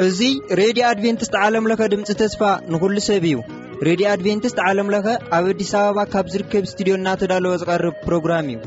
እዚ ሬድዮ ኣድቬንቲስት ዓለም ለኸ ድምፂ ተስፋ ንኹሉ ሰብ እዩ። ሬድዮ ኣድቬንቲስት ዓለም ለኸ ኣብ ኣዲስ ኣበባ ካብ ዝርከብ ስቱዲዮ እናተዳለወ ዝቐርብ ፕሮግራም እዩ።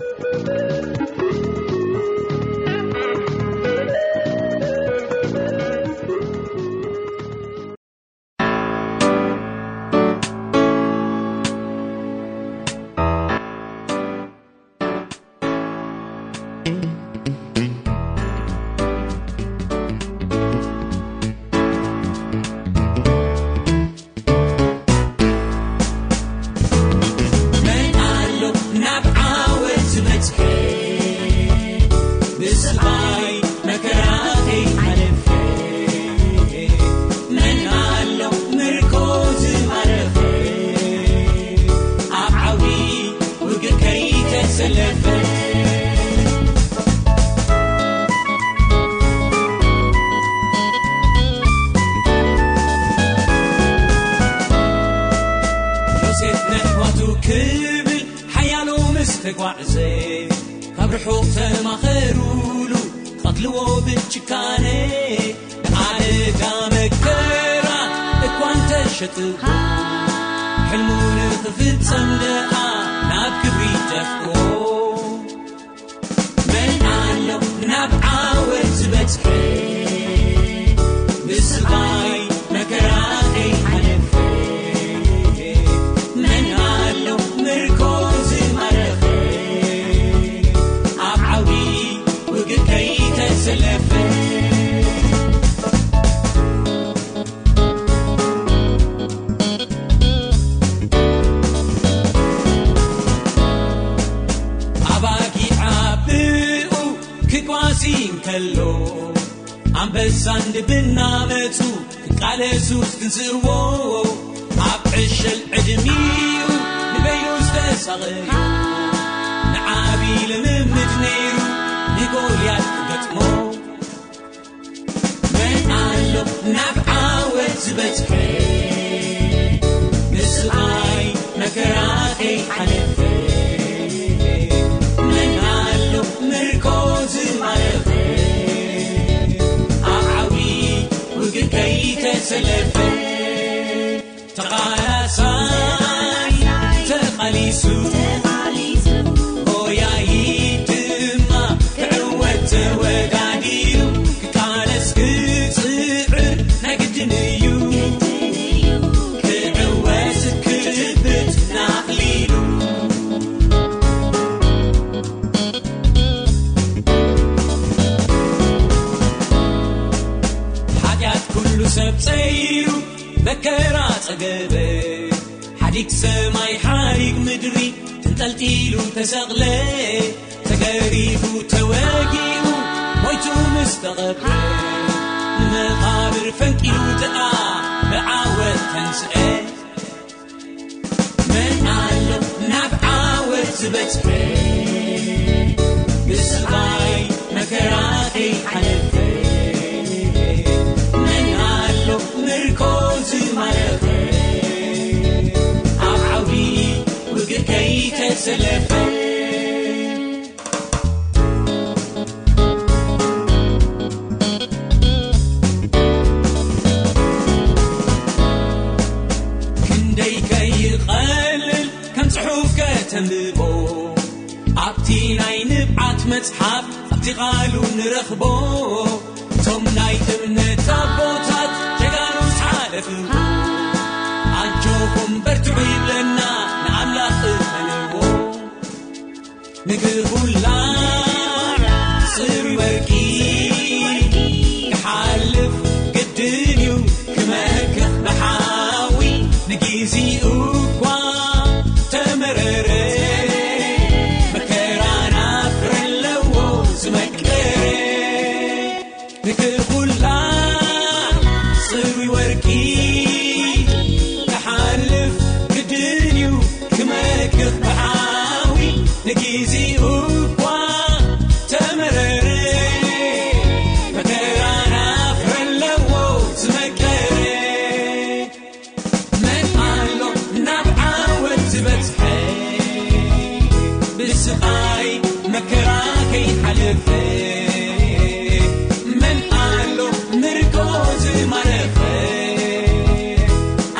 መን ኣሎ ምርኮ ዝማረኸ፣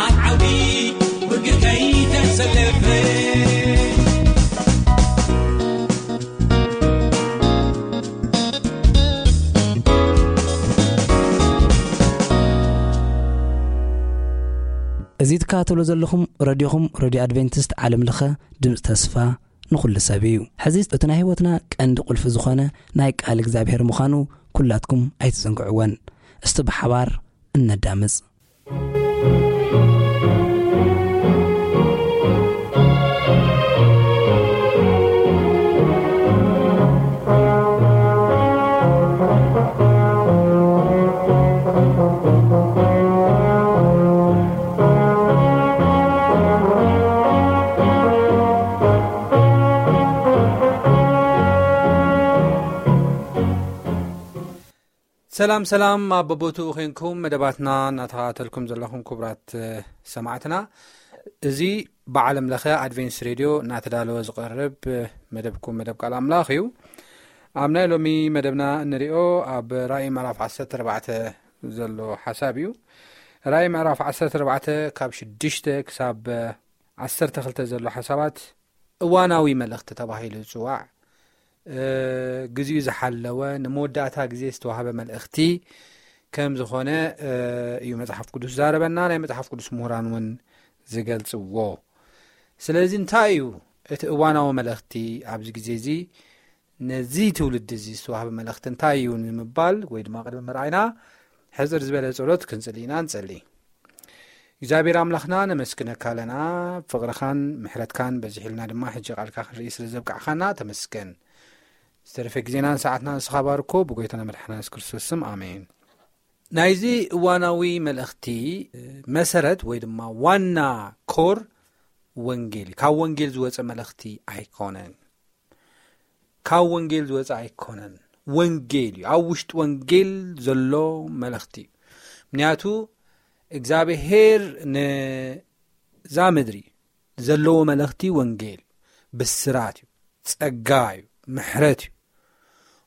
ኣብ ዓውዲ ውግእ ከይተሰለፈ። እዚ ትከታተሉ ዘለኹም ረድዮኹም፣ ረድዮ ኣድቬንቲስት ዓለም ለኸ ድምፂ ተስፋ ንኹሉ ሰብ እዩ። ሕዚ እቲ ናይ ህይወትና ቀንዲ ቁልፊ ዝኾነ ናይ ቃል እግዚኣብሔር ምዃኑ ኩላትኩም ኣይትዘንግዕወን። እስቲ ብሓባር እነዳምፅ። ሰላም ሰላም፣ ኣብ በቦትኡ ኾይንኩም መደባትና እናተኸታተልኩም ዘለኹም ክቡራት ሰማዕትና፣ እዚ ብዓለም ለኸ ኣድቬንስ ሬድዮ እናተዳለወ ዝቐርብ መደብኩም መደብ ቃል ኣምላኽ እዩ። ኣብ ናይ ሎሚ መደብና እንሪኦ ኣብ ራእይ ምዕራፍ ዓሰርተ ኣርባዕተ ዘሎ ሓሳብ እዩ። ራእይ ምዕራፍ ዓሰርተ ኣርባዕተ ካብ ሽዱሽተ ክሳብ ዓሰርተ ክልተ ዘሎ ሓሳባት እዋናዊ መልእኽቲ ተባሂሉ ዝጽዋዕ፣ ግዜኡ ዝሓለወ፣ ንመወዳእታ ግዜ ዝተዋህበ መልእኽቲ ከም ዝኾነ እዩ መጽሓፍ ቅዱስ ዛረበና፣ ናይ መጽሓፍ ቅዱስ ምሁራን እውን ዝገልጽዎ። ስለዚ እንታይ እዩ እቲ እዋናዊ መልእኽቲ ኣብዚ ግዜ እዚ? ነዚ ትውልዲ እዚ ዝተዋህበ መልእኽቲ እንታይ እዩ ንምባል ወይ ድማ ቅድሚ ምርኣይና፣ ሕጽር ዝበለ ጸሎት ክንጽሊ ኢና። ንጸሊ። እግዚኣብሔር ኣምላኽና፣ ነመስግነካ ኣለና። ፍቕርኻን ምሕረትካን በዚሕልና ድማ ሕጂ ቃልካ ክንርኢ ስለ ዘብቃዕኻና ተመስገን። ዝተረፈ ግዜናን ሰዓትናን ንስኻ ባርኮ፣ ብጎይታና መድሓና የሱስ ክርስቶስ ስም፣ ኣሜን። ናይዚ እዋናዊ መልእኽቲ መሰረት ወይ ድማ ዋና ኮር ወንጌል እዩ። ካብ ወንጌል ዝወፀ መልእኽቲ ኣይኮነን። ካብ ወንጌል ዝወፀ ኣይኮነን። ወንጌል እዩ። ኣብ ውሽጢ ወንጌል ዘሎ መልእኽቲ እዩ። ምክንያቱ እግዚኣብሔር ነዛ ምድሪ ዘለዎ መልእኽቲ ወንጌል ብስራት እዩ፣ ጸጋ እዩ፣ ምሕረት እዩ።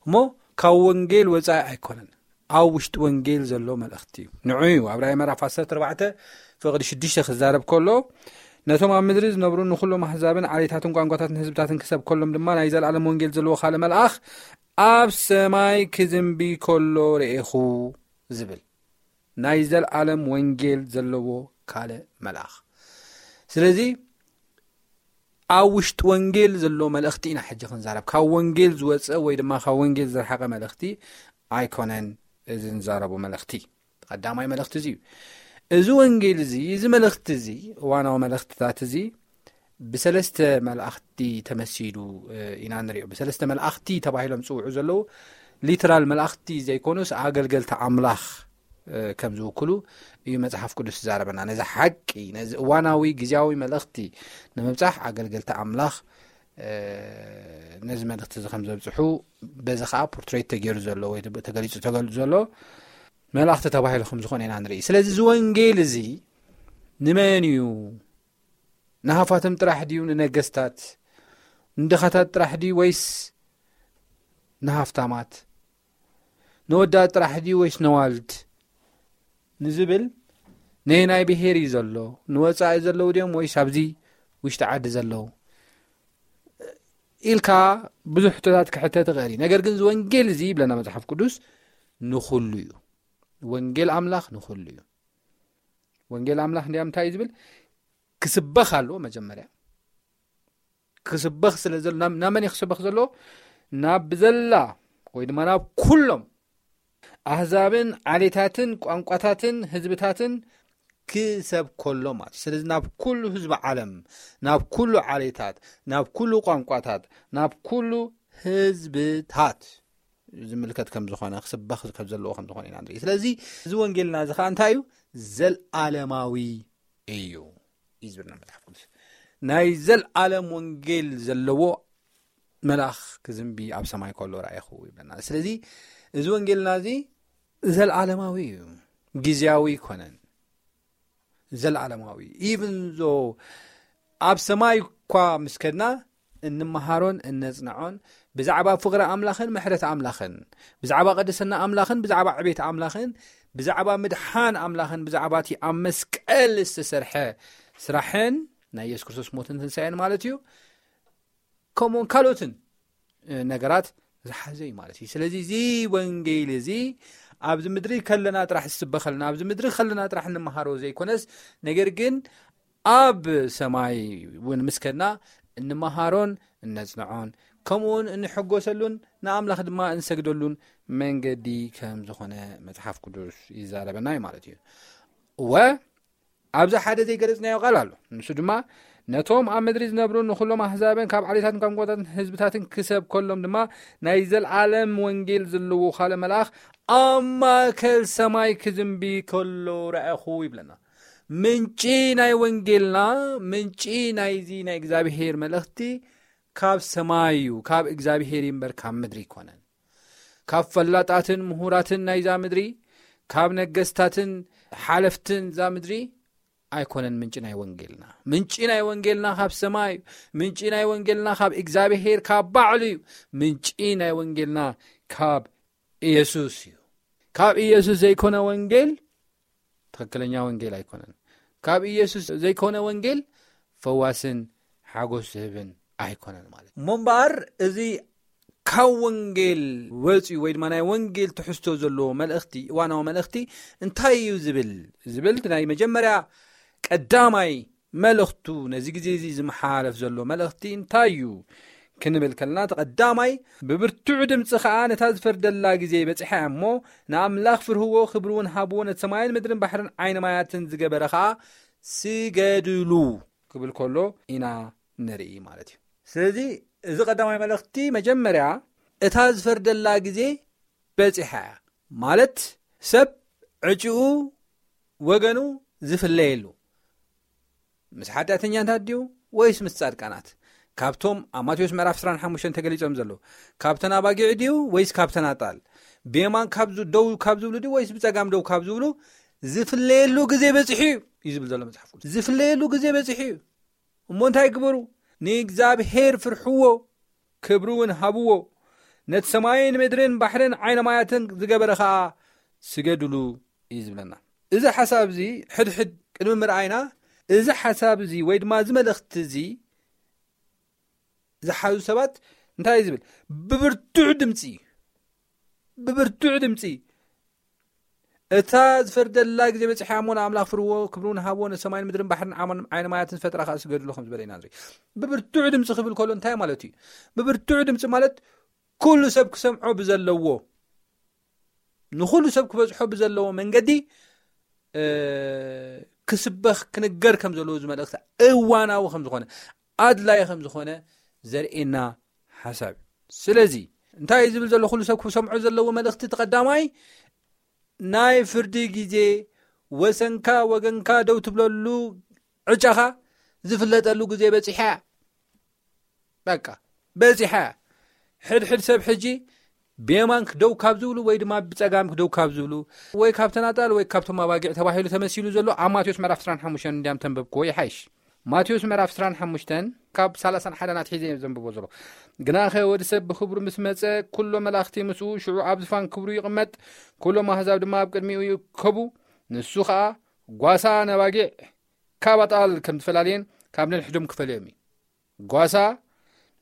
እሞ ካብ ወንጌል ወጻኢ ኣይኮነን። ኣብ ውሽጢ ወንጌል ዘሎ መልእኽቲ እዩ። ንዑ እዩ ኣብ ራእይ ምዕራፍ ዓሰርተ ኣርባዕተ ፍቕዲ ሽዱሽተ ክዛረብ ከሎ፣ ነቶም ኣብ ምድሪ ዝነብሩ ንኹሎም ኣህዛብን ዓሌታትን ቋንቋታትን ህዝብታትን ክሰብ ከሎም ድማ ናይ ዘለኣለም ወንጌል ዘለዎ ካልእ መልኣኽ ኣብ ሰማይ ክዝንቢ ከሎ ርኤኹ ዝብል ናይ ዘለኣለም ወንጌል ዘለዎ ካልእ መልኣኽ። ስለዚ ኣብ ውሽጢ ወንጌል ዘሎ መልእኽቲ ኢና ሕጂ ክንዛረብ። ካብ ወንጌል ዝወፀ ወይ ድማ ካብ ወንጌል ዝረሓቐ መልእኽቲ ኣይኮነን። እዚ ንዛረቦ መልእኽቲ ቀዳማይ መልእኽቲ እዚ እዩ። እዚ ወንጌል እዚ፣ እዚ መልእኽቲ እዚ፣ እዋናዊ መልእኽትታት እዚ ብሰለስተ መላእኽቲ ተመሲሉ ኢና ንሪኦ። ብሰለስተ መላእኽቲ ተባሂሎም ዝፅውዑ ዘለዉ ሊትራል መላእኽቲ ዘይኮኑስ ኣገልገልቲ ኣምላኽ ከም ዝውክሉ እዩ መጽሓፍ ቅዱስ ዝዛረበና። ነዚ ሓቂ፣ ነዚ እዋናዊ ግዜያዊ መልእኽቲ ንምብጻሕ ኣገልገልቲ ኣምላኽ ነዚ መልእኽቲ እዚ ከም ዘብጽሑ፣ በዚ ኸዓ ፖርትሬት ተገይሩ ዘሎ ወይ ተገሊጹ ተገሊጹ ዘሎ መላእኽቲ ተባሂሉ ከም ዝኾነ ኢና ንርኢ። ስለዚ እዚ ወንጌል እዚ ንመን እዩ? ንሃፋትም ጥራሕ ድዩ? ንነገስታት፣ ንድኻታት ጥራሕ ድዩ ወይስ ንሃፍታማት? ንወዳት ጥራሕ ድዩ ወይስ ነዋልድ ንዝብል፣ ነየናይ ብሄር እዩ ዘሎ? ንወጻኢ ዘለዉ ድዮም ወይስ ኣብዚ ውሽጢ ዓዲ ዘለዉ ኢልካ ብዙሕ ሕቶታት ክሕተት ይኽእል እዩ። ነገር ግን እዚ ወንጌል እዚ ይብለና መጽሓፍ ቅዱስ ንኹሉ እዩ። ወንጌል ኣምላኽ ንኹሉ እዩ። ወንጌል ኣምላኽ እንዲያም እንታይ እዩ ዝብል? ክስበኽ ኣለዎ መጀመርያ። ክስበኽ ስለ ዘሎ፣ ናብ፣ ናብ መን እዩ ክስበኽ ዘለዎ? ናብ ብዘላ ወይ ድማ ናብ ኩሎም ኣህዛብን ዓሌታትን ቋንቋታትን ህዝብታትን ክሰብ ከሎ ማለት እዩ። ስለዚ ናብ ኩሉ ህዝቢ ዓለም፣ ናብ ኩሉ ዓሌታት፣ ናብ ኩሉ ቋንቋታት፣ ናብ ኩሉ ህዝብታት ዝምልከት ከም ዝኾነ፣ ክስበኽ ከም ዘለዎ ከም ዝኾነ ኢና ንርኢ። ስለዚ እዚ ወንጌልና እዚ ኸዓ እንታይ እዩ? ዘልኣለማዊ እዩ እዩ ዝብልና መጽሓፍ ቅዱስ። ናይ ዘልኣለም ወንጌል ዘለዎ መልኣኽ ክዝንቢ ኣብ ሰማይ ከሎ ረኣይኹ ይብለና። ስለዚ እዚ ወንጌልና እዚ ዘልኣለማዊ እዩ፣ ግዜያዊ ኣይኮነን። ዘልኣለማዊ እዩ። ኢቭን ዞ ኣብ ሰማይ እኳ ምስ ከድና እንመሃሮን እነጽንዖን ብዛዕባ ፍቕሪ ኣምላኽን ምሕረት ኣምላኽን፣ ብዛዕባ ቅድስና ኣምላኽን ብዛዕባ ዕቤት ኣምላኽን ብዛዕባ ምድሓን ኣምላኽን ብዛዕባ እቲ ኣብ መስቀል ዝተሰርሐ ስራሕን ናይ የሱስ ክርስቶስ ሞትን ትንሳኤን ማለት እዩ። ከምኡውን ካልኦትን ነገራት ዝሓዘ እዩ ማለት እዩ። ስለዚ እዚ ወንጌል እዚ ኣብዚ ምድሪ ከለና ጥራሕ ዝስበኸልና፣ ኣብዚ ምድሪ ከለና ጥራሕ እንመሃሮ ዘይኮነስ፣ ነገር ግን ኣብ ሰማይ እውን ምስ ከድና እንመሃሮን እነጽንዖን ከምኡውን እንሕጎሰሉን ንኣምላኽ ድማ እንሰግደሉን መንገዲ ከም ዝኾነ መጽሓፍ ቅዱስ ይዛረበና እዩ ማለት እዩ። እወ ኣብዚ ሓደ ዘይገለጽናዮ ቃል ኣሎ። ንሱ ድማ ነቶም ኣብ ምድሪ ዝነብሩ ንኹሎም ኣህዛብን ካብ ዓሌታትን ቋንቋታትን ህዝብታትን ክሰብ ከሎም ድማ ናይ ዘልኣለም ወንጌል ዘለዎ ካልእ መልኣኽ ኣብ ማእከል ሰማይ ክዝንቢ ከሎ ረኣኹ ይብለና። ምንጪ ናይ ወንጌልና፣ ምንጪ ናይዚ ናይ እግዚኣብሔር መልእኽቲ ካብ ሰማይ እዩ፣ ካብ እግዚኣብሔር እዩ እምበር ካብ ምድሪ ኣይኮነን። ካብ ፈላጣትን ምሁራትን ናይዛ ምድሪ፣ ካብ ነገስታትን ሓለፍትን እዛ ምድሪ ኣይኮነን ምንጪ ናይ ወንጌልና። ምንጪ ናይ ወንጌልና ካብ ሰማይ እዩ። ምንጪ ናይ ወንጌልና ካብ እግዚኣብሔር፣ ካብ ባዕሉ እዩ። ምንጪ ናይ ወንጌልና ካብ ኢየሱስ እዩ። ካብ ኢየሱስ ዘይኮነ ወንጌል ትኽክለኛ ወንጌል ኣይኮነን። ካብ ኢየሱስ ዘይኮነ ወንጌል ፈዋስን ሓጎስ ዝህብን ኣይኮነን ማለት እዩ። እሞ እምበኣር እዚ ካብ ወንጌል ወፂኡ ወይ ድማ ናይ ወንጌል ትሕዝቶ ዘለዎ መልእኽቲ፣ እዋናዊ መልእኽቲ እንታይ እዩ ዝብል፣ ዝብል ናይ መጀመርያ ቀዳማይ መልእኽቱ፣ ነዚ ግዜ እዚ ዝመሓላለፍ ዘሎ መልእኽቲ እንታይ እዩ ክንብል ከለና፣ እቲ ቀዳማይ፣ ብብርቱዕ ድምፂ ኸዓ ነታ ዝፈርደላ ግዜ በፂሓ እያ እሞ፣ ንኣምላኽ ፍርህዎ፣ ክብሪ እውን ሃብዎ፣ ነቲ ሰማይን ምድርን ባሕርን ዓይኒ ማያትን ዝገበረ ኸዓ ስገድሉ ክብል ከሎ ኢና ንርኢ ማለት እዩ። ስለዚ እዚ ቀዳማይ መልእኽቲ መጀመርያ እታ ዝፈርደላ ግዜ በፂሓ እያ ማለት ሰብ ዕጭኡ ወገኑ ዝፍለየሉ ምስ ሓጢኣተኛታት ድዩ ወይስ ምስ ጻድቃናት? ካብቶም ኣብ ማቴዎስ ምዕራፍ ዕስራን ሓሙሽተን ተገሊጾም ዘለዉ ካብተን ኣባጊዕ ድዩ ወይስ ካብተን ኣጣል? ብየማን ካብ ዝ-፣ ደው ካብ ዝብሉ ድዩ ወይስ ብጸጋም ደው ካብ ዝብሉ ዝፍለየሉ ግዜ በጺሑ እዩ፣ እዩ ዝብል ዘሎ መጽሓፍ ቅዱስ። ዝፍለየሉ ግዜ በጺሑ እዩ። እሞ እንታይ ግበሩ? ንእግዚኣብሔር ፍርሕዎ፣ ክብሪ እውን ሃብዎ። ነቲ ሰማይን ምድርን ባሕርን ዓይነ ማያትን ዝገበረ ኸኣ ስገድሉ እዩ ዝብለና። እዚ ሓሳብ እዚ ሕድሕድ ቅድሚ ምርኣይና፣ እዚ ሓሳብ እዚ ወይ ድማ እዚ መልእኽቲ እዚ ዝሓዙ ሰባት እንታይ እዩ ዝብል? ብብርቱዕ ድምፂ፣ ብብርቱዕ ድምፂ፣ እታ ዝፈርደላ ግዜ በፂሓ እሞ ንኣምላኽ ፍርዎ፣ ክብሪ እውን ሃብዎ፣ ነሰማይን ምድርን ባሕርን ዓሞን ዓይነ ማያትን ዝፈጠረ ኸኣ ስገድሉ ከም ዝበለ ኢና ንርኢ። ብብርቱዕ ድምፂ ክብል ከሎ እንታይ ማለት እዩ? ብብርቱዕ ድምፂ ማለት ኩሉ ሰብ ክሰምዖ ብዘለዎ፣ ንኹሉ ሰብ ክበዝሖ ብዘለዎ መንገዲ፣ እ፣ ክስበኽ፣ ክንገር ከም ዘለዎ፣ እዚ መልእኽቲ እዋናዊ ከም ዝኾነ፣ ኣድላይ ከም ዝኾነ ዘርእየና ሓሳብ እዩ። ስለዚ እንታይ እዩ ዝብል ዘሎ? ኩሉ ሰብ ክሰምዖ ዘለዎ መልእኽቲ፣ እቲ ቀዳማይ ናይ ፍርዲ ግዜ፣ ወሰንካ ወገንካ ደው ትብለሉ፣ ዕጫኻ ዝፍለጠሉ ግዜ በፂሓ እያ። በቃ በፂሓ እያ። ሕድሕድ ሰብ ሕጂ ብየማንክ ደው ካብ ዝብሉ ወይ ድማ ብፀጋምክ ደው ካብ ዝብሉ ወይ ካብ ተናጣል ወይ ካብቶም ኣባጊዕ ተባሂሉ ተመሲሉ ዘሎ ኣብ ማቴዎስ ምዕራፍ ዕስራን ሓሙሽተን እንዲያም ተንበብክዎ ይሓይሽ። ማቴዎስ ምዕራፍ ዕስራን ሓሙሽተን ካብ ሰላሳን ሓደን ኣትሒዘ እየ ዘንብቦ ዘሎ። ግናኸ ወዲ ሰብ ብኽብሩ ምስ መጸ፣ ኩሎም መላእኽቲ ምስኡ፣ ሽዑ ኣብ ዝፋን ክብሩ ይቕመጥ፣ ኩሎም ኣህዛብ ድማ ኣብ ቅድሚኡ ይእከቡ። ንሱ ኸኣ ጓሳ ነባጊዕ ካብ ኣጣል ከም ዝፈላልየን ካብ ነንሕዶም ክፈልዮም እዩ። ጓሳ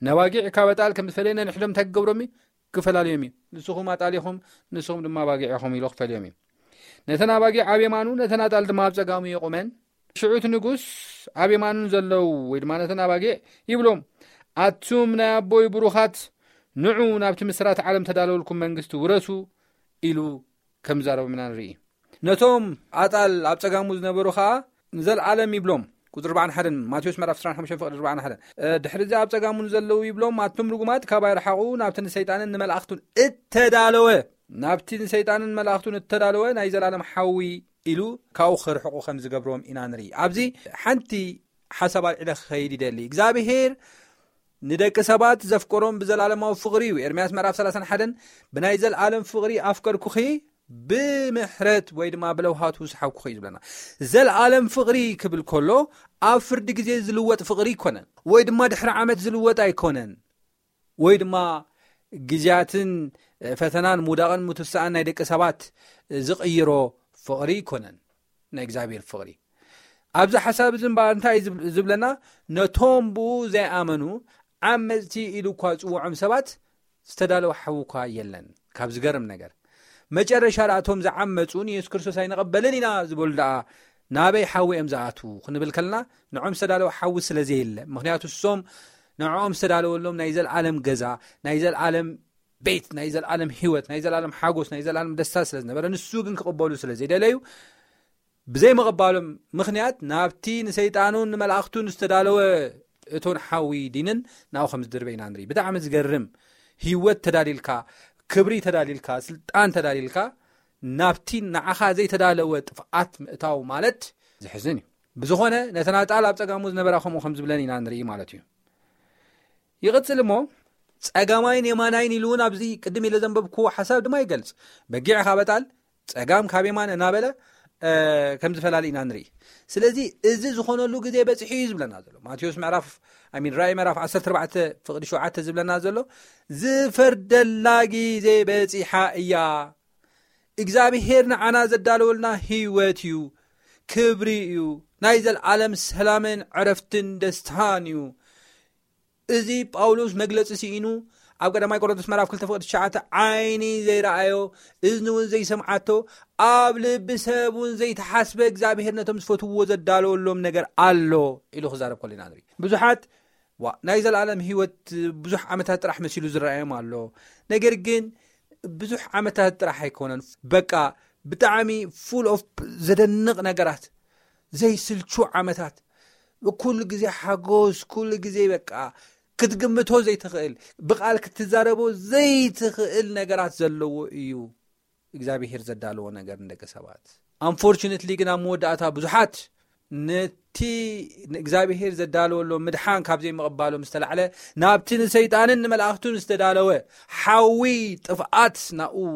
ነባጊዕ ካብ ኣጣል ከም ዝፈልየ ነንሕዶም እንታይ ክገብሮም እዩ? ክፈላልዮም እዩ። ንስኹም ኣጣል ኢኹም፣ ንስኹም ድማ ኣባጊዕ ኢኹም ኢሉ ክፈልዮም እዩ። ነተን ኣባጊዕ ኣብ የማኑ፣ ነተን ኣጣል ድማ ኣብ ጸጋሙ የቑመን። ሽዑ እቲ ንጉስ ኣብ የማኑ ዘለዉ ወይ ድማ ነተን ኣባጊዕ ይብሎም፣ ኣቱም ናይ ኣቦይ ብሩኻት፣ ንዑ ናብቲ ምስራት ዓለም ተዳለወልኩም መንግስቲ ውረሱ ኢሉ ከም ዝዛረቦም ኢና ንርኢ። ነቶም ኣጣል ኣብ ጸጋሙ ዝነበሩ ኸኣ ንዘለዓለም ይብሎም። ቁጽሪ ኣርባዓን ሓደን፣ ማቴዎስ ምዕራፍ ዕስራን ሓሙሽተን ፍቕዲ ኣርባዓን ሓደን። እ፣ ድሕሪ እዚ ኣብ ጸጋሙ ንዘለዉ ይብሎም፣ ኣቱም ርጉማት ካባይ ርሓቑ፣ ናብቲ ንሰይጣንን ንመላእኽቱን እተዳለወ፣ ናብቲ ንሰይጣንን መላእኽቱን እተዳለወ ናይ ዘላለም ሓዊ ኢሉ ካብኡ ክርሕቑ ከም ዝገብሮም ኢና ንርኢ። ኣብዚ ሓንቲ ሓሳብ ኣልዒለ ክኸይድ ይደሊ። እግዚኣብሄር ንደቂ ሰባት ዘፍቀሮም ብዘላለማዊ ፍቕሪ እዩ። ኤርምያስ ምዕራፍ ሰላሳን ሓደን፣ "ብናይ ዘልኣለም ፍቕሪ ኣፍቀርኩኺ፣ ብምሕረት ወይ ድማ ብለውሃቱ ዝሓብኩኺ" እዩ ዝብለና። ዘልኣለም ፍቕሪ ክብል ከሎ፣ ኣብ ፍርዲ ግዜ ዝልወጥ ፍቕሪ ኣይኮነን፣ ወይ ድማ ድሕሪ ዓመት ዝልወጥ ኣይኮነን፣ ወይ ድማ ግዜያትን ፈተናን ምውዳቕን ምትሳእን ናይ ደቂ ሰባት ዝቕይሮ ፍቕሪ ኣይኮነን። ናይ እግዚኣብሔር ፍቕሪ ኣብዚ ሓሳብ እዚ እምበኣር እንታይ እዩ ዝብ- ዝብለና? ነቶም ብኡ ዘይኣመኑ ዓመፅቲ ኢሉ እኳ ዝፅውዖም ሰባት ዝተዳለወ ሓዊ እኳ የለን። ካብ ዝገርም ነገር መጨረሻ ደኣ እቶም ዝዓመፁ ንየሱስ ክርስቶስ ኣይንቐበልን ኢና ዝበሉ ደኣ ናበይ ሓዊ እዮም ዝኣትዉ ክንብል ከለና ንዖም ዝተዳለወ ሓዊ ስለ ዘየለ፣ ምክንያቱ እሶም ንዕኦም ዝተዳለወሎም ናይ ዘለዓለም ገዛ፣ ናይ ዘለዓለም ቤት፣ ናይ ዘለዓለም ህይወት፣ ናይ ዘለዓለም ሓጎስ፣ ናይ ዘለዓለም ደስታ ስለ ዝነበረ ንሱ ግን ክቕበሉ ስለ ዘይደለዩ ብዘይምቕባሎም ምኽንያት ናብቲ ንሰይጣኑን ንመላእኽቱን ዝተዳለወ እቶን ሓዊ ዲንን ናብኡ ከም ዝድርበ ኢና ንርኢ። ብጣዕሚ ዝገርም ህይወት ተዳሊልካ፣ ክብሪ ተዳሊልካ፣ ስልጣን ተዳሊልካ ናብቲ ንዓኻ ዘይተዳለወ ጥፍኣት ምእታው ማለት ዝሕዝን እዩ። ብዝኾነ ነተን ኣጣል ኣብ ጸጋሙ ዝነበራ ከምኡ ከም ዝብለን ኢና ንርኢ ማለት እዩ። ይቕጽል እሞ ጸጋማይን የማናይን ኢሉ እውን ኣብዚ ቅድም ኢለ ዘንበብኩዎ ሓሳብ ድማ ይገልጽ። በጊዕ ካብ ኣጣል ጸጋም ካብ የማን እናበለ ከም ዝፈላሊ ኢና ንርኢ። ስለዚ እዚ ዝኾነሉ ግዜ በጺሑ እዩ ዝብለና ዘሎ ማቴዎስ ምዕራፍ ሚን ራእይ ምዕራፍ ዓሰርተ ኣርባዕተ ፍቕዲ ሸውዓተ ዝብለና ዘሎ ዝፈርደላ ግዜ በጺሓ እያ። እግዚኣብሄር ንዓና ዘዳለወልና ህይወት እዩ፣ ክብሪ እዩ፣ ናይ ዘለዓለም ሰላምን ዕረፍትን ደስታን እዩ። እዚ ጳውሎስ መግለጺ ስኢኑ ኣብ ቀዳማይ ቆሮንቶስ ምዕራፍ ክልተ ፍቕዲ ትሽዓተ ዓይኒ ዘይረኣዮ እዝኒ እውን ዘይሰምዓቶ ኣብ ልቢ ሰብ እውን ዘይተሓስበ እግዚኣብሄር ነቶም ዝፈትውዎ ዘዳለወሎም ነገር ኣሎ ኢሉ ክዛረብ ከሎ ኢና ንርኢ። ብዙሓት ዋ ናይ ዘለኣለም ህይወት ብዙሕ ዓመታት ጥራሕ መሲሉ ዝረኣዮም ኣሎ። ነገር ግን ብዙሕ ዓመታት ጥራሕ ኣይኮነን። በቃ ብጣዕሚ ፉል ኦፍ ዘደንቕ ነገራት ዘይስልቹ ዓመታት ኩሉ ግዜ ሓጎስ ኩሉ ግዜ በቃ ክትግምቶ ዘይትኽእል ብቓል ክትዛረቦ ዘይትኽእል ነገራት ዘለዎ እዩ እግዚኣብሄር ዘዳለዎ ነገር ንደቂ ሰባት። ኣንፎርቹነትሊ ግን ኣብ መወዳእታ ብዙሓት ነቲ ንእግዚኣብሄር ዘዳለወሎም ምድሓን ካብ ዘይምቕባሎም ዝተላዕለ ናብቲ ንሰይጣንን ንመላእኽቱን ዝተዳለወ ሓዊ ጥፍኣት ናብኡ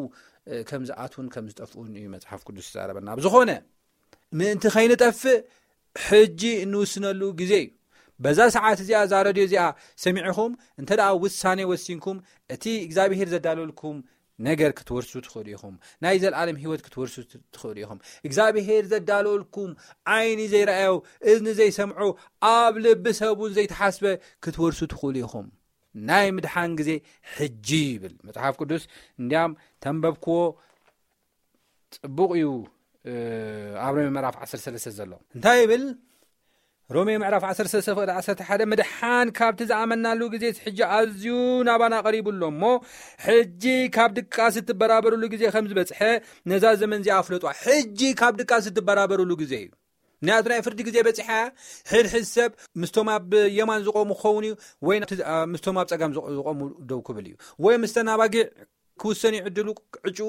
ከም ዝኣትውን ከም ዝጠፍኡን እዩ መጽሓፍ ቅዱስ ዝዛረበና። ብዝኾነ ምእንቲ ከይንጠፍእ ሕጂ እንውስነሉ ግዜ እዩ። በዛ ሰዓት እዚኣ እዛ ረድዮ እዚኣ ሰሚዕኹም እንተ ደኣ ውሳኔ ወሲንኩም እቲ እግዚኣብሄር ዘዳለልኩም ነገር ክትወርሱ ትኽእሉ ኢኹም። ናይ ዘለኣለም ህይወት ክትወርሱ ትኽእሉ ኢኹም። እግዚኣብሄር ዘዳለልኩም ዓይኒ ዘይረኣዮ እዝኒ ዘይሰምዖ ኣብ ልቢ ሰብ እውን ዘይተሓስበ ክትወርሱ ትኽእሉ ኢኹም። ናይ ምድሓን ግዜ ሕጂ ይብል መጽሓፍ ቅዱስ። እንዲያም ተንበብክዎ ጽቡቕ እዩ። ኣብ ሮሜ ምዕራፍ ዓሰርተ ሰለስተ ዘሎ እንታይ ይብል? ሮሜ ምዕራፍ ዓሰርተ ሰለስተ ፍቕዲ ዓሰርተ ሓደ ምድሓን ካብቲ ዝኣመናሉ ግዜ ሕጂ ኣዝዩ ናባና ቀሪቡ ኣሎ እሞ ሕጂ ካብ ድቃስ እትበራበርሉ ግዜ ከም ዝበጽሐ ነዛ ዘመን እዚኣ ኣፍለጧ። ሕጂ ካብ ድቃስ እትበራበርሉ ግዜ እዩ። ምክንያቱ ናይ ፍርዲ ግዜ በጺሓ። ሕድሕድ ሰብ ምስቶም ኣብ የማን ዝቆሙ ክኸውን እዩ ወይ ምስቶም ኣብ ጸጋም ዝቆሙ ደው ክብል እዩ ወይ ምስተን ኣባጊዕ ክውሰን እዩ ዕድሉ ዕጩ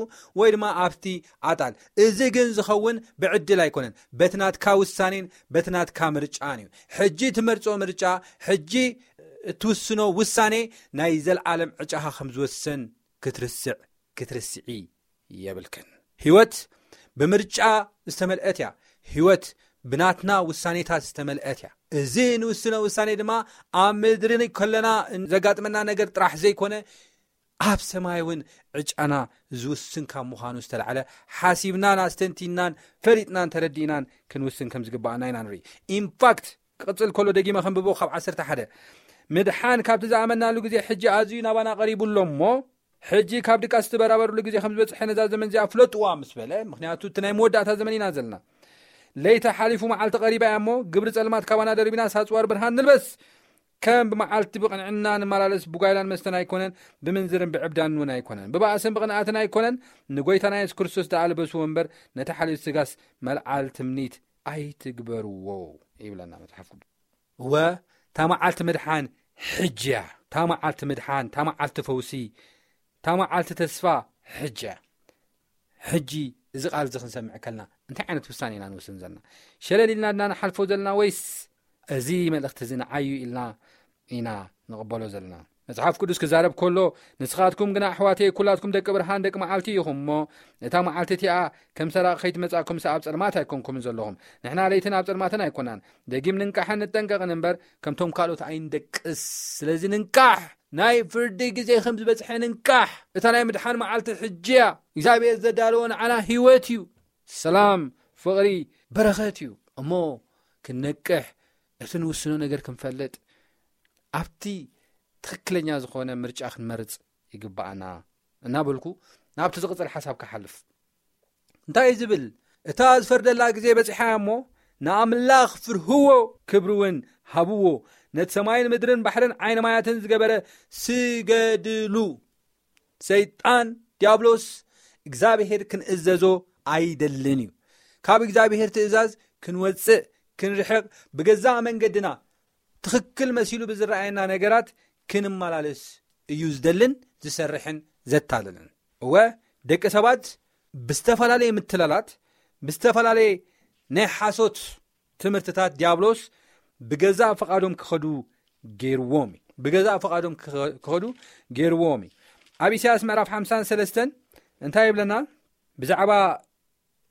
ወይ ድማ ኣብቲ ኣጣል። እዚ ግን ዝኸውን ብዕድል ኣይኮነን፣ በቲ ናትካ ውሳኔን በቲ ናትካ ምርጫን እዩ። ሕጂ ትመርጾ ምርጫ፣ ሕጂ እትውስኖ ውሳኔ ናይ ዘለዓለም ዕጫኻ ከም ዝወስን ክትርስዕ ክትርስዒ የብልክን። ህይወት ብምርጫ ዝተመልአት እያ። ህይወት ብናትና ውሳኔታት ዝተመልአት እያ። እዚ ንውስኖ ውሳኔ ድማ ኣብ ምድሪ ከለና ዘጋጥመና ነገር ጥራሕ ዘይኮነ ኣብ ሰማይ እውን ዕጫና ዝውስን ካብ ምዃኑ ዝተላዕለ ሓሲብናን ኣስተንቲናን ፈሊጥናን ተረዲእናን ክንውስን ከም ዝግባኣና ኢና ንርኢ። ኢንፋክት ክቕጽል ከሎ ደጊመ ከንብቦ ካብ ዓሰርተ ሓደ ምድሓን ካብቲ ዝኣመናሉ ግዜ ሕጂ ኣዝዩ ናባና ቀሪቡ ኣሎ እሞ ሕጂ ካብ ድቃስ ትበራበርሉ ግዜ ከም ዝበጽሐ ነዛ ዘመን እዚኣ ፍለጥዋ ምስ በለ፣ ምክንያቱ እቲ ናይ መወዳእታ ዘመን ኢና ዘለና። ለይቲ ሓሊፉ መዓልቲ ቀሪባ እያ እሞ ግብሪ ጸልማት ካባና ደርቢና ሳጽዋር ብርሃን ንልበስ። ከም ብመዓልቲ ብቕንዕና ንመላለስ ብጓይላን መስተን ኣይኮነን፣ ብምንዝርን ብዕብዳንን እውን ኣይኮነን፣ ብባእስን ብቕንኣትን ኣይኮነን፣ ንጎይታና የሱስ ክርስቶስ ደኣ ልበስዎ እምበር ነቲ ሓልዮት ስጋስ መልዓል ትምኒት ኣይትግበርዎ ይብለና መጽሓፍ ቅዱስ። እወ እታ መዓልቲ ምድሓን ሕጂ እያ። እታ መዓልቲ ምድሓን፣ እታ መዓልቲ ፈውሲ፣ እታ መዓልቲ ተስፋ ሕጂ እያ። ሕጂ እዚ ቃል እዚ ክንሰምዕ ከልና እንታይ ዓይነት ውሳኔ ኢና ንውስን ዘለና? ሸለል ኢልና ድና ንሓልፎ ዘለና ወይስ እዚ መልእኽቲ እዚ ንዓዩ ኢልና ኢና ንቕበሎ ዘለና? መጽሓፍ ቅዱስ ክዛረብ ከሎ፣ "ንስኻትኩም ግና ኣሕዋተይ፣ ኩላትኩም ደቂ ብርሃን፣ ደቂ መዓልቲ ኢኹም እሞ፣ እታ መዓልቲ እቲኣ ከም ሰራቕ ከይትመጻእኩም፣ ኣብ ጸልማት ኣይኮንኩምን ዘለኹም። ንሕና ለይትን ኣብ ጸልማትን ኣይኮናን። ደጊም ንንቃሕን ንጠንቀቕን እምበር፣ ከምቶም ካልኦት ኣይንደቅስ። ስለዚ ንንቃሕ፣ ናይ ፍርዲ ግዜ ከም ዝበጽሐ ንንቃሕ። እታ ናይ ምድሓን መዓልቲ ሕጂ እያ። እግዚኣብሔር ዘዳለዎ ንዓና ህይወት እዩ፣ ሰላም፣ ፍቕሪ፣ በረኸት እዩ። እሞ ክንነቅሕ፣ እቲ ንውስኖ ነገር ክንፈልጥ፣ ኣብቲ ትኽክለኛ ዝኾነ ምርጫ ክንመርጽ ይግብኣና" እናበልኩ ናብቲ ዝቕጽል ሓሳብ ክሓልፍ። እንታይ እዩ ዝብል? "እታ ዝፈርደላ ግዜ በጺሓ እሞ፣ ንኣምላኽ ፍርህዎ፣ ክብሪ እውን ሃብዎ። ነቲ ሰማይን ምድርን ባሕርን ዓይኒ ማያትን ዝገበረ ስገድሉ። ሰይጣን ዲያብሎስ እግዚኣብሔር ክንእዘዞ ኣይደልን እዩ። ካብ እግዚኣብሔር ትእዛዝ ክንወጽእ፣ ክንርሕቕ፣ ብገዛእ መንገድና ትኽክል መሲሉ ብዝረኣየና ነገራት ክንመላለስ እዩ ዝደልን ዝሰርሕን ዘታልልን። እወ፣ ደቂ ሰባት ብዝተፈላለየ ምትላላት፣ ብዝተፈላለየ ናይ ሓሶት ትምህርትታት ዲያብሎስ ብገዛእ ፍቓዶም ክኸዱ ገይርዎም እዩ። ብገዛእ ፍቓዶም ክኸ-፣ ክኸዱ ገይርዎም እዩ። ኣብ ኢሳያስ ምዕራፍ ሓምሳን ሰለስተን እንታይ ይብለና? ብዛዕባ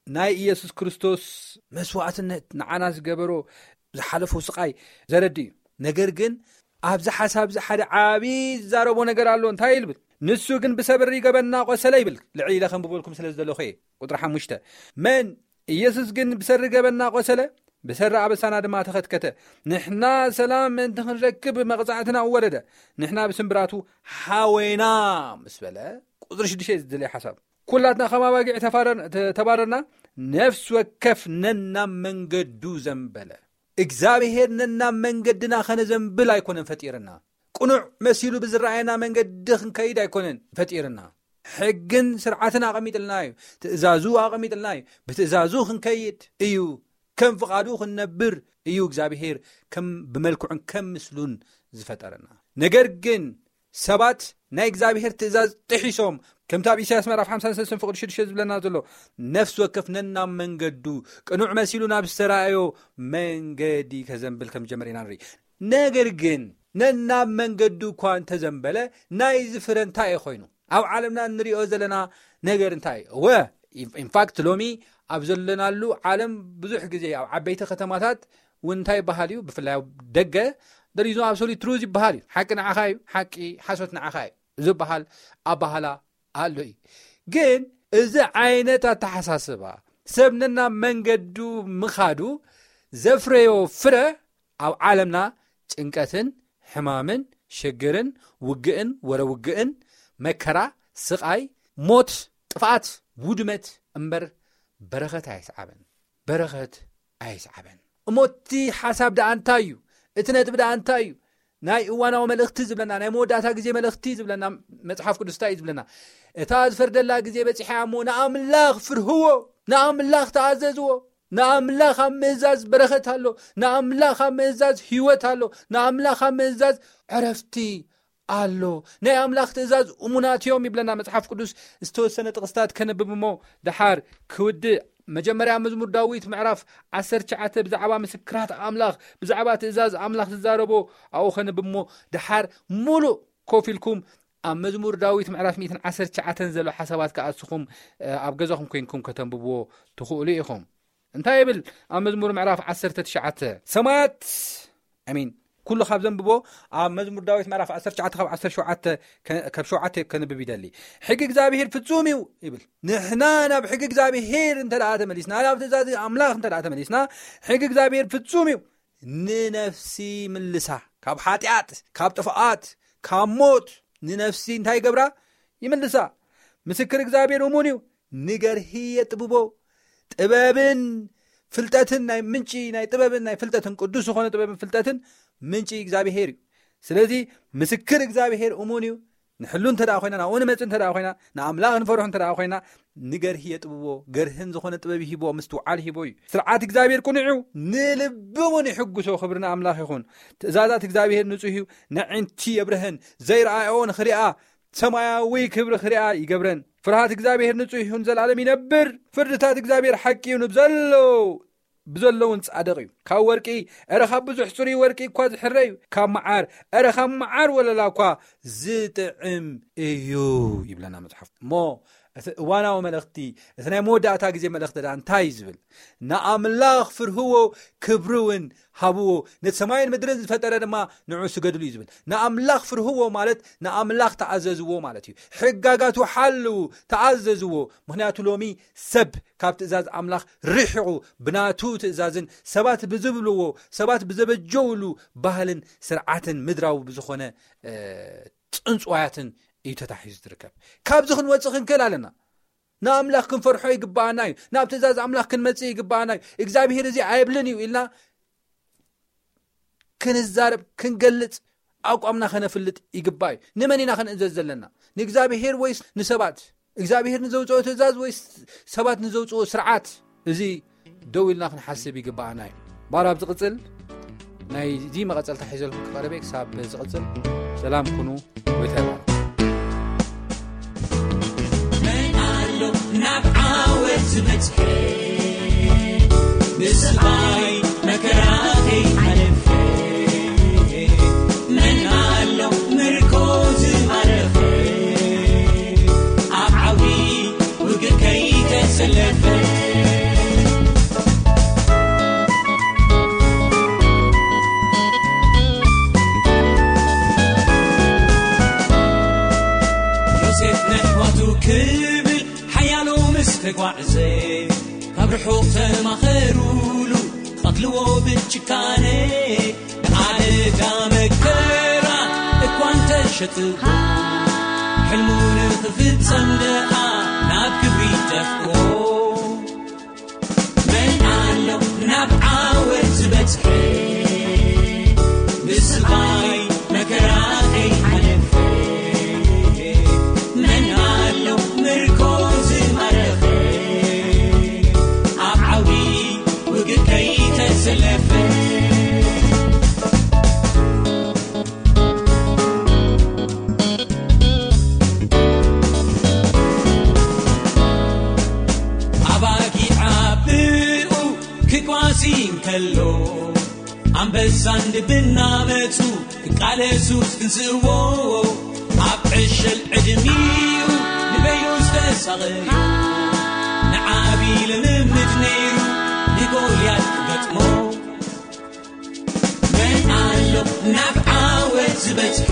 ናይ ኢየሱስ ክርስቶስ መስዋዕትነት፣ ንዓና ዝገበሮ፣ ዝሓለፎ ስቓይ ዘረድእ እዩ። ነገር ግን ኣብዚ ሓሳብ እዚ ሓደ ዓቢ ዝዛረቦ ነገር ኣሎ። እንታይ ይብል? "ንሱ ግን ብሰሪ ገበንና ቆሰለ" ይብል። ልዕል ኢለ ከንብበልኩም ስለ ዝደለኹ እየ። ቁጥሪ ሓሙሽተ፣ "መን? ኢየሱስ ግን ብሰሪ ገበንና ቆሰለ፣ ብሰሪ ኣበሳና ድማ ተኸትከተ። ንሕና ሰላም ምእንቲ ክንረክብ መቕጻዕትና ወረደ። ንሕና ብስምብራቱ ሓወይና" ምስ በለ፣ ቁጥሪ ሽዱሽተ እዩ ዝድለይ ሓሳብ። "ኩላትና ከም ኣባጊዕ ተፋረር-፣ ተ-፣ ተባረርና፣ ነፍሲ ወከፍ ነናብ መንገዱ ዘንበለ።" እግዚኣብሔር ነናብ መንገድና ኸነዘንብል ኣይኮነን ፈጢርና። ቅኑዕ መሲሉ ብዝረኣየና መንገዲ ክንከይድ ኣይኮነን ፈጢርና። ሕግን ስርዓትን ኣቐሚጥልና እዩ። ትእዛዙ ኣቐሚጥልና እዩ። ብትእዛዙ ክንከይድ እዩ። ከም ፍቓዱ ክንነብር እዩ እግዚኣብሔር ከም ብመልክዑን ከም ምስሉን ዝፈጠረና። ነገር ግን ሰባት ናይ እግዚኣብሔር ትእዛዝ ጥሒሶም፣ ከምቲ ኣብ ኢሳያስ ምዕራፍ ሓምሳን ሰለስተን ፍቕዲ ሽዱሽተ ዝብለና ዘሎ፣ ነፍሲ ወከፍ ነናብ መንገዱ ቅኑዕ መሲሉ ናብ ዝተራእዮ መንገዲ ከዘንብል ከም ዝጀመረ ኢና ንርኢ። ነገር ግን ነናብ መንገዱ እኳ እንተዘንበለ፣ ናይዚ ፍረ እንታይ እዩ ኮይኑ? ኣብ ዓለምና እንሪኦ ዘለና ነገር እንታይ እዩ? እወ፣ ኢንፋክት ሎሚ ኣብ ዘለናሉ ዓለም ብዙሕ ግዜ ኣብ ዓበይቲ ከተማታት እውን እንታይ ይበሃል እዩ? ብፍላይ ኣብ ደገ፣ there is no absolute truth ይበሃል እዩ። ሓቂ ንዓኻ እዩ፣ ሓቂ፣ ሓሶት ንዓኻ እዩ ዝበሃል ኣባህላ ኣሎ እዩ። ግን እዚ ዓይነት ኣተሓሳስባ ሰብ ነናብ መንገዱ ምኻዱ ዘፍረዮ ፍረ ኣብ ዓለምና ጭንቀትን ሕማምን ሽግርን ውግእን ወረ ውግእን መከራ ስቓይ ሞት ጥፍኣት ውድመት እምበር በረኸት ኣየስዓበን። በረኸት ኣየስዓበን። እሞ እቲ ሓሳብ ደኣ እንታይ እዩ? እቲ ነጥቢ ደኣ እንታይ እዩ? ናይ እዋናዊ መልእኽቲ ዝብለና፣ ናይ መወዳእታ ግዜ መልእኽቲ ዝብለና መጽሓፍ ቅዱስ እንታይ እዩ ዝብለና? እታ ዝፈርደላ ግዜ በጺሓ እሞ ንኣምላኽ ፍርህዎ፣ ንኣምላኽ ተኣዘዝዎ። ንኣምላኽ ኣብ ምእዛዝ በረኸት ኣሎ። ንኣምላኽ ኣብ ምእዛዝ ህይወት ኣሎ። ንኣምላኽ ኣብ ምእዛዝ ዕረፍቲ ኣሎ። ናይ ኣምላኽ ትእዛዝ እሙናት እዮም ይብለና መጽሓፍ ቅዱስ። ዝተወሰነ ጥቕስታት ከነብብ እሞ ደሓር ክውድእ። መጀመርያ መዝሙር ዳዊት ምዕራፍ ዓሰርተ ትሽዓተ ብዛዕባ ምስክራት ኣምላኽ፣ ብዛዕባ ትእዛዝ ኣምላኽ ዝዛረቦ ኣብኡ ከነብብ እሞ ደሓር ሙሉእ ኮፍ ኢልኩም ኣብ መዝሙር ዳዊት ምዕራፍ ሚእትን ዓሰርተ ትሽዓተን ዘሎ ሓሳባት ከኣ ንስኹም ኣብ ገዛኹም ኮይንኩም ከተንብብዎ ትኽእሉ ኢኹም። እንታይ ይብል ኣብ መዝሙር ምዕራፍ ዓሰርተ ትሽዓተ? ሰማያት፣ ኣሚን፣ ኩሉ ካብ ዘንብቦ ኣብ መዝሙር ዳዊት ምዕራፍ ዓሰርተ ትሽዓተ ካብ ዓሰርተ ሸውዓተ ከ-፣ ካብ ሸውዓተ ከንብብ ይደሊ። ሕጊ እግዚኣብሔር ፍጹም እዩ ይብል። ንሕና ናብ ሕጊ እግዚኣብሔር እንተ ደኣ ተመሊስና፣ ናብ ትእዛዝ ኣምላኽ እንተ ደኣ ተመሊስና፣ ሕጊ እግዚኣብሔር ፍጹም እዩ። ንነፍሲ ይምልሳ ካብ ሓጢኣት፣ ካብ ጥፍኣት፣ ካብ ሞት ንነፍሲ እንታይ ይገብራ? ይምልሳ። ምስክር እግዚኣብሔር እሙን እዩ፣ ንገርሂ የጥብቦ። ጥበብን ፍልጠትን ናይ ምንጪ ናይ ጥበብን ናይ ፍልጠትን ቅዱስ ዝኾነ ጥበብን ፍልጠትን ምንጪ እግዚኣብሔር እዩ። ስለዚ ምስክር እግዚኣብሔር እሙን እዩ። ንሕሉ እንተ ደኣ ኮይና፣ ናብኡ ንመጽእ እንተ ደኣ ኮይና፣ ንኣምላኽ ንፈርሑ እንተ ደኣ ኮይና፣ ንገርሂ የጥብቦ። ገርህን ዝኾነ ጥበብ ይሂቦ፣ ምስትውዓል ይሂቦ እዩ። ስርዓት እግዚኣብሔር ቅኑዕ እዩ፣ ንልቢ እውን ይሕጉሶ። ክብሪ ንኣምላኽ ይኹን። ትእዛዛት እግዚኣብሔር ንጹህ እዩ፣ ነዒንቲ የብርሀን። ዘይረኣዮ ንኽሪኣ፣ ሰማያዊ ክብሪ ክሪኣ ይገብረን። ፍርሃት እግዚኣብሔር ንጹህ ይኹን፣ ዘላለም ይነብር። ፍርድታት እግዚኣብሔር ሓቂ እዩ፣ ንብዘሎ ብዘለውን ጻድቕ እዩ። ካብ ወርቂ፣ እረ ካብ ብዙሕ ጽሩይ ወርቂ እኳ ዝሕረ እዩ። ካብ መዓር፣ እረ ካብ መዓር ወለላ እኳ ዝጥዕም እዩ ይብለና መጽሓፍ። እሞ እቲ እዋናዊ መልእኽቲ፣ እቲ ናይ መወዳእታ ግዜ መልእኽቲ ደኣ እንታይ እዩ ዝብል? ንኣምላኽ ፍርህዎ፣ ክብሪ እውን ሃብዎ፣ ነቲ ሰማይን ምድርን ዝፈጠረ ድማ ንዑ ስገድሉ እዩ ዝብል። ንኣምላኽ ፍርህዎ ማለት ንኣምላኽ ተኣዘዝዎ ማለት እዩ። ሕጋጋቱ ሓልዉ፣ ተኣዘዝዎ። ምኽንያቱ ሎሚ ሰብ ካብ ትእዛዝ ኣምላኽ ርሒቑ፣ ብናቱ ትእዛዝን ሰባት ብዝብልዎ፣ ሰባት ብዘበጀውሉ ባህልን ስርዓትን ምድራዊ ብዝኾነ፣ እ፣ ጽንጽዋያትን እዩ ተታሒዙ ዝርከብ። ካብዚ ክንወጽእ ክንክእል ኣለና። ንኣምላኽ ክንፈርሖ ይግብኣና እዩ። ናብ ትእዛዝ ኣምላኽ ክንመጽእ ይግብኣና እዩ። እግዚኣብሄር እዚ ኣይብልን እዩ ኢልና ክንዛረብ፣ ክንገልጽ፣ ኣቋምና ከነፍልጥ ይግባእ እዩ። ንመን ኢና ክንእዘዝ ዘለና? ንእግዚኣብሄር ወይስ ንሰባት? እግዚኣብሄር ንዘውጽኦ ትእዛዝ ወይስ ሰባት ንዘውጽኦ ስርዓት? እዚ ደው ኢልና ክንሓስብ ይግብኣና እዩ። ባር ኣብ ዝቕጽል ናይዚ መቐጸልታ ሒዘልኩም ክቐርበ ክሳብ ዝቕጽል ሰላም ኩኑ። ጎይታ ይባርክ። መን ኣሎ ናብ ዓወት ዝበጽሐ? ንስቓይ መከራ ከይሓለፈ። መን ኣሎ ምርኮ ዝማረኸ? ኣብ ዓውዲ ውግእ ከይተሰለፈ። ዮሴፍ ነሕዋቱ ክብል ሓያሎ ምስ ተጓዕዘ፣ ካብ ርሑቕ ተማኸሩሉ፣ ቀትልዎ ብጭካነ። ብኣደዳ መከራ እኳ እንተሸጥዎ፣ ሕልሙ ንኽፍጸም ደኣ ናብ ክብሪ ደፍኦ። መን ኣሎ ናብ ዓወት ዝበጽሐ? ብስቓይ መከራ ከይሓለፈ። መን ኣሎ ምርኮ ዝማረኸ? ኣብ ዓውዲ ውግእ ከይተሰለፈ። ኣባጊዕ ኣቦኡ ክጓሲ እንከሎ፣ ኣንበሳን ድብን እናመጹ ክቃለሱ ክትንስእዎ። ኣብ ዕሸል ዕድሚኡ ንበይኑ ዝተሳቐዮ፣ ንዓቢ ልምምድ ነይሩ ንጎልያድ ክገጥሞ። መን ኣሎ ናብ ዓወት ዝበጽሐ?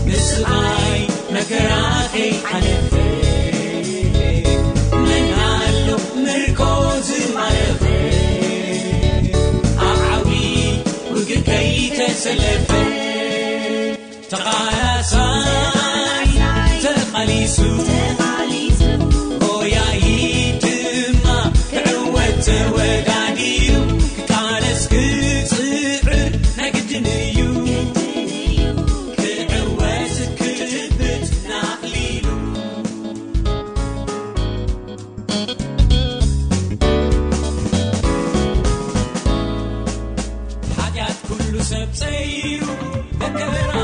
ንስቓይ መከራ ከይሓለፈ። መን ኣሎ ምርኮ ዝማረኸ? ኣብ ዓውዲ ውግእ ከይተሰለፈ። ተቓላሳይ ተቓሊሱ፣ ጎያዪ ድማ ክዕወት ተወዳዲሩ። ክቃለስ ክጽዕር ናይ ግድን እዩ፣ ክዕወት ክጭብጥ ንኣኽሊሉ። ሓጢኣት ኩሉ ሰብ ጸይሩ፣ መከራ